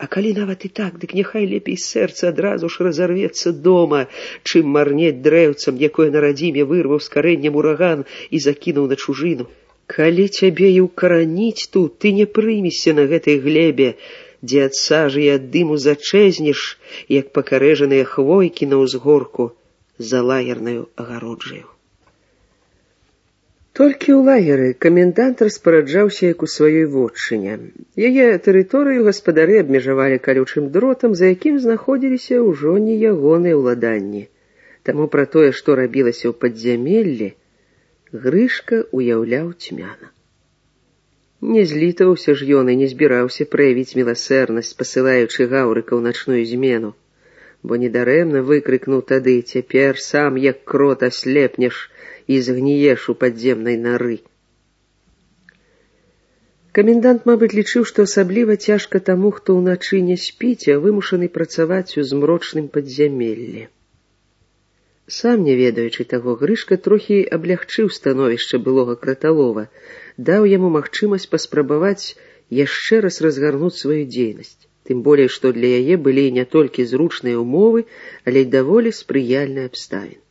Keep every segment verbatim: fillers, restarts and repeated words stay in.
А калі нават і так, дык няхай лепей сэрца адразу ж разарвецца дома, чым марнець дрэўцам, якое на радзіме вырваў з карэннем ураган і закінуў на чужыну. Калі цябе і ўкараніць тут, ты не прымешся на гэтай глебе, дзе ад сажы і ад дыму зачэзнеш, як пакарэжаныя хвойкі на ўзгорку за лагернаю агароджаю. Толькі ў лагеры камендант распараджаўся як у сваёй вотчыне. Яе тэрыторыю гаспадары абмежавалі калючым дротам, за якім знаходзіліся ўжо не ягоныя ўладанні. Таму пра тое, што рабілася ў падзямеллі, Грышка уяўляў цьмяна. Не злітаваўся ж ён і не збіраўся праявіць міласэрнасць, пасылаючы Гаўрыка ў начную змену, бо недарэмна выкрыкнуў тады: «Цяпер сам, як крот, аслепнеш і згніеш у падземнай нары». Камендант, мабыць, лічыў, што асабліва цяжка таму, хто ўначы не спіць, а вымушаны працаваць у змрочным падзямеллі. Сам не ведаючы таго, Грышка трохі аблягчыў становішча былога краталова, даў яму магчымасць паспрабаваць яшчэ раз разгарнуць сваю дзейнасць. Тым болей, што для яе былі не толькі зручныя ўмовы, але і даволі спрыяльныя абставіны.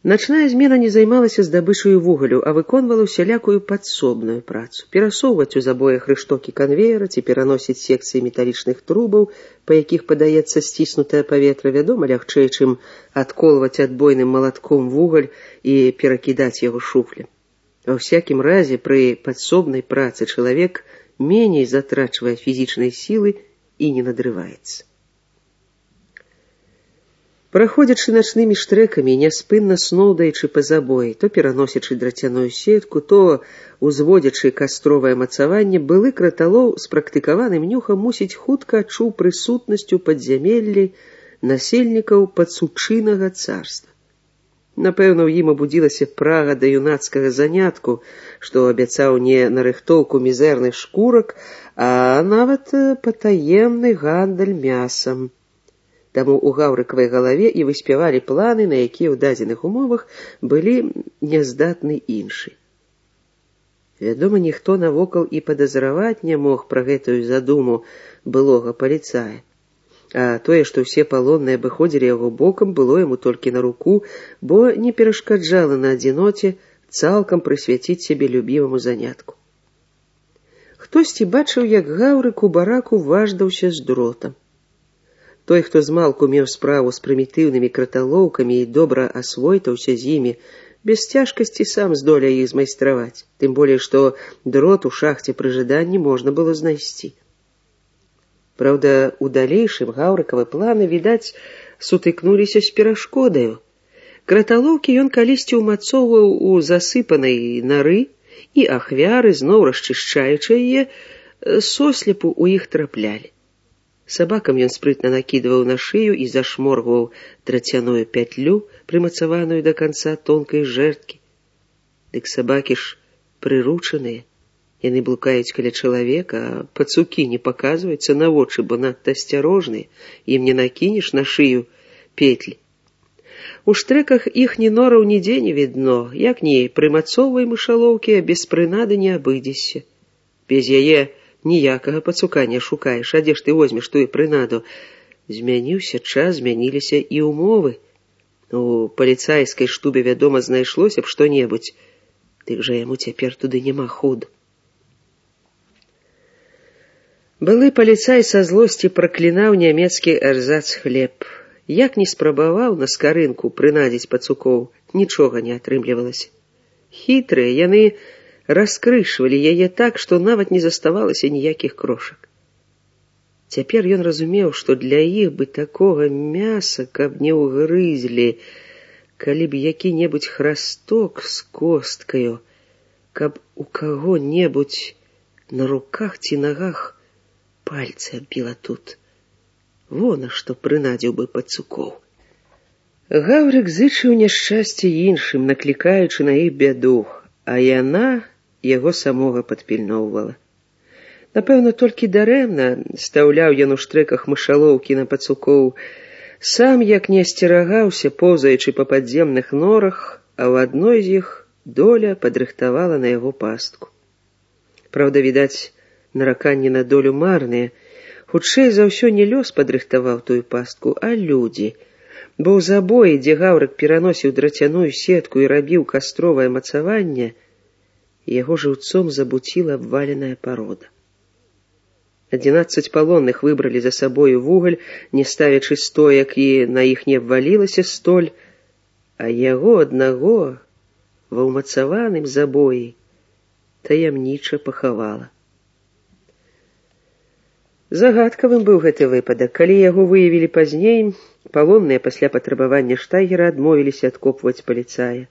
Начная змена не займалася здабычаю вугалю, а выконвала усялякую падсобную працу. Перасоўваць у забоях рыштокі канвеера ці пераносіць секцыі металічных трубаў, па якіх падаецца сціснутае паветра, вядома, лягчэй, чым адколваць адбойным малатком вугаль і перакідаць яго шуфлем. Ва ўсякім разе, пры падсобнай працы чалавек меней затрачвае фізічнай сілы і не надрываецца. Праходзячы начнымі штрэкамі, няспынна сноўдаючы па забоі, то пераносячы драцяную сетку, то узводзячы кастровае мацаванне, былы краталоў з практыкаваным нюхам мусіць хутка адчуў прысутнасць у падзямеллі насельнікаў падсучынага царства. Напэўна, у ім абудзілася прага да юнацкага занятку, што абяцаў не нарыхтоўку мізэрных шкурак, а нават патаемны гандаль мясам. Таму ў Гаўрыкавай галаве і выспявалі планы, на якія ў дадзеных умовах былі няздатны іншы. Вядома, ніхто навокал і падазраваць не мог пра гэтую задуму былога паліцая. А тое, што ўсе палонныя абыходзілі яго бокам, было яму толькі на руку, бо не перашкаджала на адзіноце цалкам прысвяціць сябе любімаму занятку. Хтосьці бачыў, як Гаўрык у бараку важдаўся з дротам. Той, хто змалку меў справу з прымітыўнымі краталоўкамі і добра асвойтаўся з імі, без цяжкасці сам здолее іх змайстраваць, тым болей, што дрот у шахце пры жаданні можна было знайсці. Праўда, у далейшым Гаўрыкавы планы, відаць, сутыкнуліся з перашкодаю. Краталоўкі ён калісьці ўмацоўваў у засыпанай нары, і ахвяры, зноў расчышчаючы яе, сослепу ў іх траплялі. Сабакам ён спрытна накідваў на шыю і зашморгваў драцяную пятлю, прымацаваную да канца тонкай жэрдкі. Дык сабакі ж прыручаныя. Яны блукаюць каля чалавека, а пацукі не паказваюцца на вочы, бо надта асцярожныя, ім не накінеш на шыю петлі. У штрэках іхні нораў нідзе не відно, як ні прымацоўвай мышалоўкі, а без прынады не абыдзешся. Без яе ніякага пацука не шукаеш, а дзе ж ты возьмеш тую прынаду? Змяніўся час, змяніліся і ўмовы. У паліцайскай штубе, вядома, знайшлося б што-небудзь, дык жа яму цяпер туды няма ходу. Былы паліцай са злосці праклінаў нямецкі эрзац хлеб. Як не спрабаваў на скарынку прынадзіць пацукоў, нічога не атрымлівалася. Хітрыя яны раскрышвалі яе так, што нават не заставалася ніякіх крошак. Цяпер ён разумеў, што для іх бы такога мяса, каб не ўгрызлі, калі б які-небудзь храсток з косткаю, каб у каго-небудзь на руках ці нагах пальцы аббіла тут. Вон, а што прынадзіў бы пацукоў. Гаўрык зычыў няшчасце іншым, наклікаючы на іх бяду, а яна яго самога падпільноўвала. Напэўна, толькі дарэмна стаўляў ён у штрэках мышалоўкі на пацукоў. Сам, як не асцерагаўся, поўзаючы па падземных норах, а ў адной з іх доля падрыхтавала на яго пастку. Праўда, відаць, Нараканні на долю марныя. Хутчэй за ўсё не лёс падрыхтаваў тую пастку, а людзі. Бо ў забоі, дзе гаўрык пераносіў драцяную сетку і рабіў кастровае мацаванне, яго жыўцом забуціла абваленая парода. Адзінаццаць палонных выбралі за сабою вугаль, не ставячы стоек, і на іх не абвалілася столь, а яго аднаго ва ўмацаваным забоі таямніча пахавала. Загадкавым быў гэты выпадак. Калі яго выявілі пазней, палонныя пасля патрабавання штайгера адмовіліся адкопваць паліцая.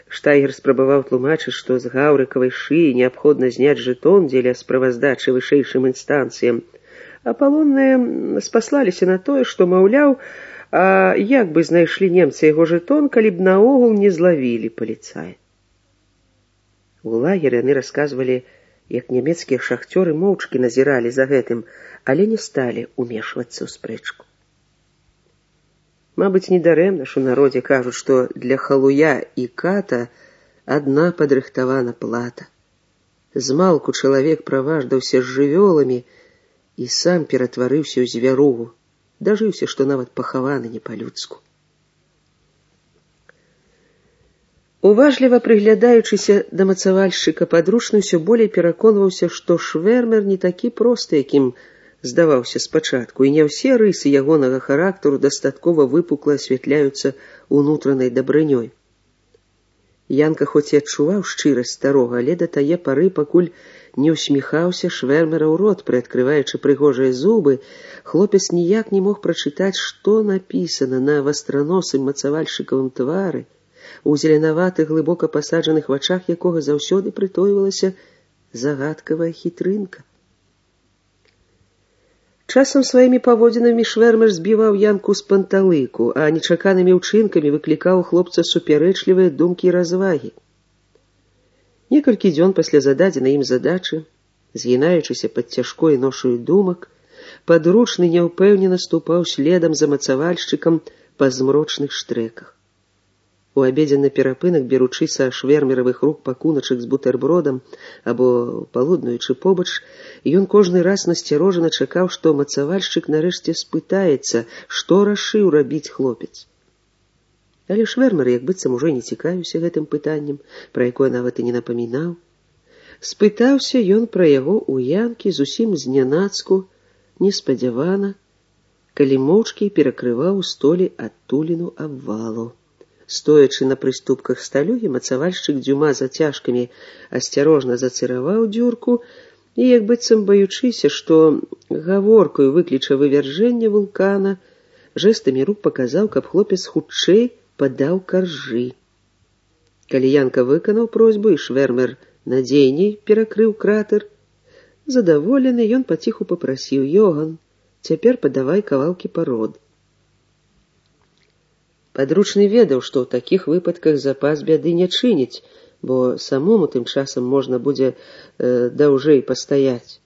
Штайгер спрабаваў тлумачыць, што з гаўрыкавай шыі неабходна зняць жэтон дзеля справаздачы вышэйшым інстанцыям, а палонныя спаслаліся на тое, што, маўляў, а як бы знайшлі немцы яго жэтон, калі б наогул не злавілі паліцая. У лагеры яны расказвалі, як нямецкія шахцёры моўчкі назіралі за гэтым, але не сталі ўмешвацца ў спрэчку. Мабыць, недарэмна ж у народзе кажуць, што для халуя і ката адна падрыхтавана плата. Змалку чалавек праваждаўся з жывёламі і сам ператварыўся ў звяругу, дажыўся, што нават пахаваны не па-людску. Уважліва прыглядаючыся да мацавальшчыка, падручны ўсё болей пераконваўся, што Швэрмер не такі просты, якім здаваўся спачатку, і не ўсе рысы ягонага характару дастаткова выпукла асвятляюцца унутранай дабрынёй. Янка хоць і адчуваў шчырасць старога, але да тае пары, пакуль не ўсміхаўся Швэрмера ў рот, прыадкрываючы прыгожыя зубы, хлопец ніяк не мог прачытаць, што напісана на вастраносым мацавальшчыкавым твары, у зеленаватых глыбока пасаджаных вачах якога заўсёды прытойвалася загадкавая хітрынка. Часам сваімі паводзінамі Швэрмер збіваў Янку з панталыку, а нечаканымі ўчынкамі выклікаў у хлопца супярэчлівыя думкі і развагі. Некалькі дзён пасля зададзенай ім задачы, згінаючыся пад цяжкой ношаю думак, падручны няўпэўнена ступаў следам за мацавальшчыкам па змрочных штрэках. У абедзенны перапынак, беручы са швэрмеравых рук пакуначак з бутэрбродам або палуднуючы побач, ён кожны раз насцярожана чакаў, што мацавальшчык нарэшце спытаецца, што рашыў рабіць хлопец. Але Швэрмер як быццам ужо не цікавіўся гэтым пытаннем, пра якое нават і не напамінаў. Спытаўся ён пра яго ў Янкі зусім знянацку, неспадзявана, калі моўчкі перакрываў у столі адтуліну абвалу. Стоячы на прыступках сталюгі, мацавальшчык дзвюма зацяжкамі асцярожна зацыраваў дзюрку і, як быццам баючыся, што гаворкаю выкліча вывяржэнне вулкана, жэстамі рук паказаў, каб хлопец хутчэй падаў каржы. Калі Янка выканаў просьбу і Швэрмер надзейней перакрыў кратер, задаволены, ён паціху папрасіў: «Йоган, цяпер падавай кавалкі парод». Падручны ведаў, што ў такіх выпадках запас бяды не чыніць, бо самому тым часам можна будзе э, даўжэй пастаяць.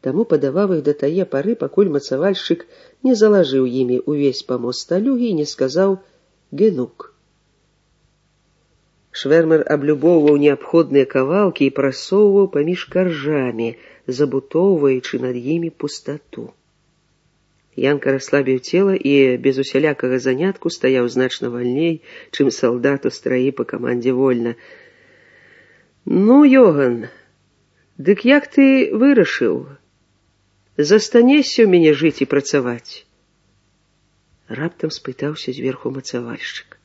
Таму падаваў іх да тае пары, пакуль мацавальшчык не залажыў імі увесь памост сталюгі і не сказаў «генук». Швэрмер аблюбоўваў неабходныя кавалкі і прасоўваў паміж каржамі, забутоўваючы над імі пустату. Янка расслабіў цела і без усялякага занятку стаяў значна вальней, чым салдат у страі па камандзе вольна. «Ну, Йоган, дык як ты вырашыў? Застанешся ў мяне жыць і працаваць?» Раптам спытаўся зверху мацавальшчык.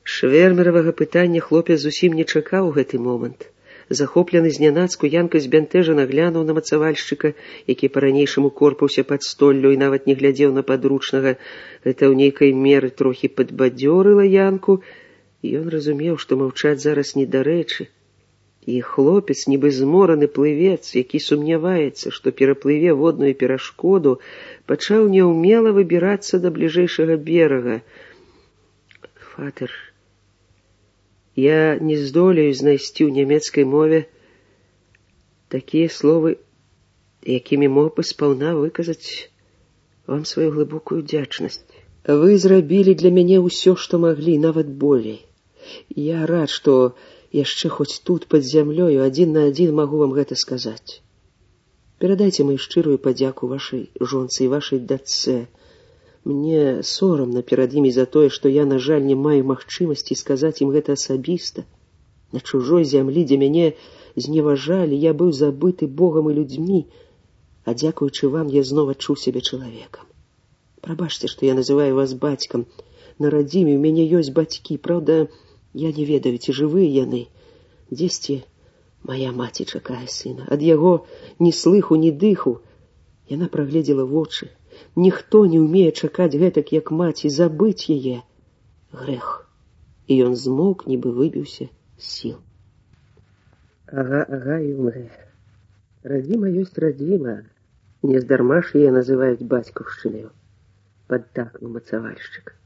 Швэрмеравага пытання хлопец зусім не чакаў у гэты момант. Захоплены знянацку, Янка збянтэжана глянуў на мацавальшчыка, які па-ранейшаму корпаўся пад столлю і нават не глядзеў на падручнага. Гэта ў нейкай меры трохі падбадзёрыла Янку, і ён разумеў, што маўчаць зараз недарэчы. І хлопец, нібы змораны плывец, які сумняваецца, што пераплыве водную перашкоду, пачаў няўмела выбірацца да бліжэйшага берага. «Фатер, я не здолею знайсці ў нямецкай мове такія словы, якімі мог бы спаўна выказаць вам сваю глыбокую удзячнасць. Вы зрабілі для мяне ўсё, што маглі, нават болей. Я рад, што яшчэ хоць тут, пад зямлёю, адзін на адзін магу вам гэта сказаць. Перадайце маю шчырую падзяку вашай жонцы і вашай дачцэ. Мне сорамна перад імі за тое, што я, на жаль, не маю магчымасці сказаць ім гэта асабіста. На чужой зямлі, дзе мяне зневажалі, я быў забыты Богам і людзьмі, а дзякуючы вам я зноў адчуў сябе чалавекам. Прабачце, што я называю вас бацькам. На радзіме ў мяне ёсць бацькі, праўда, я не ведаю, ці жывыя яны. Дзесьці моя маці чакае сына. Ад яго ні слыху, ні дыху. Яна прагледзела вочы. Ніхто не ўмее чакаць гэтак, як маці, забыць яе. Грэх. І ён змоўк, нібы выбіўся з сіл. Ага, ага, і умрэ. Радзіма ёсць радзіма. Нездарма ж яе называюць бацькаўшчынаю. Паддакнуў мацавальшчык.